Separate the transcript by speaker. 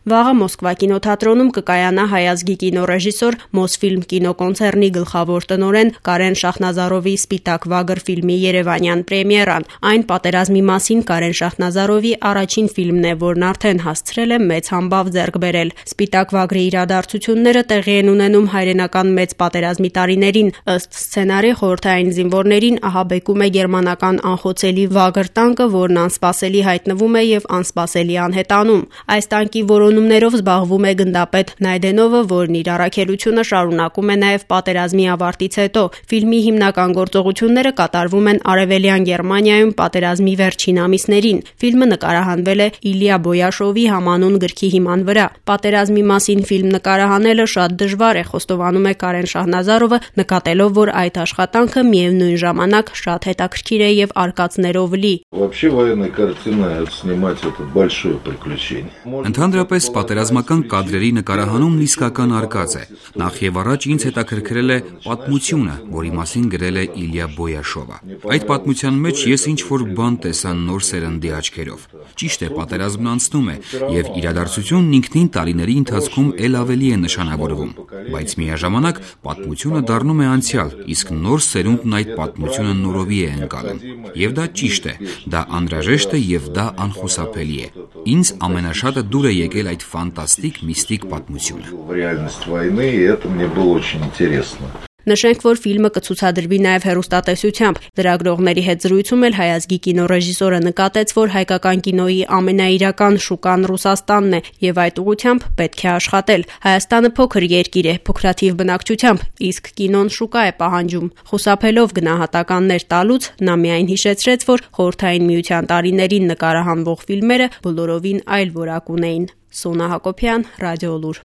Speaker 1: Վաղը Մոսկվա կինոթատրոնում կկայանա հայ ազգի կինոռեժիսոր Մոսֆիլմ կինոկոնցեռնի գլխավոր տնօրեն Կարեն Շախնազարովի «Սպիտակ վագր» ֆիլմի երևանյան պրեմիերան։ Այն պատերազմի մասին Կարեն Շախնազարովի առաջին ֆիլմն է, որն արդեն հասցրել է մեծ համբավ ձեռք բերել։ «Սպիտակ վագրի» իրադարձությունները տեղի են ունենում հայրենական մեծ պատերազմի տարիներին։ Ըստ սցենարի, խորհրդային զինվորներին ահաբեկում է գերմանական անխոցելի վագր տանկը, որն անսպասելի հայտնվում է եւ անսպասելի անհետանում։ Այս տանկի որոնումներով զբաղվում է գնդապետ Նայդենովը, որն իր առաքելությունը շարունակում է նաև պատերազմի ավարտից հետո։ Ֆիլմի հիմնական գործողությունները կատարվում են Արևելյան Գերմանիայում պատերազմի վերջին ամիսներին։ Ֆիլմը նկարահանվել է Իլիա Բոյաշովի համանուն գրքի հիման վրա։ Պատերազմի մասին ֆիլմ նկարահանելը շատ դժվար է, խոստովանում է Կարեն Շախնազարովը, նկատելով, որ այդ աշխատանքը միևնույն ժամանակ շատ հետաքրքիր է եւ արկածներով լի։
Speaker 2: Вообще военная картина снимать это большое приключение.
Speaker 3: Ընդհանրապես պատերազմական կադրերի նկարահանումն իսկական արկած է։ Նախ եւ առաջ ինձ հետաքրքրել է պատմությունը, որի մասին գրել է Իլիա Բոյաշովը։ Այդ պատմության մեջ ես ինչ-որ բան տեսա նոր սերնդի աչքերով։ Ճիշտ է, պատերազմն անցնում է եւ իրադարձությունն ինքնին տարիների ընթացքում ել ավելի է նշանավորվում, բայց միաժամանակ պատմությունը դառնում է անցյալ, իսկ նոր սերունդն այդ պատմությունը նորովի է ընկալում։ Եվ դա ճիշտ է, դա անհրաժեշտ է եւ դա անխուսափելի է։ Ինձ ամենաշատը դուր է եկել այդ ֆանտաստիկ միստիկ պատմությունը։
Speaker 1: Նշենք, որ ֆիլմը կցուցադրվի նաև հեռուստատեսությամբ։ Լրագրողների հետ զրույցում էլ հայ ազգի կինոռեժիսորը նկատեց, որ հայկական կինոյի ամենաիրական շուկան Ռուսաստանն է եւ այդ ուղղությամբ պետք է աշխատել։ Հայաստանը փոքր երկիր է, փոքրաթիվ բնակչությամբ, իսկ կինոն շուկա է պահանջում։ Խուսափելով գնահատականներ տալուց, նա միայն հիշեցրեց, որ Խորհրդային Միության տարիներին նկարահանվող ֆիլմերը բոլորովին այլ որակ ունեին։ Սոնա Հակոբյան, Ռադիոլուր։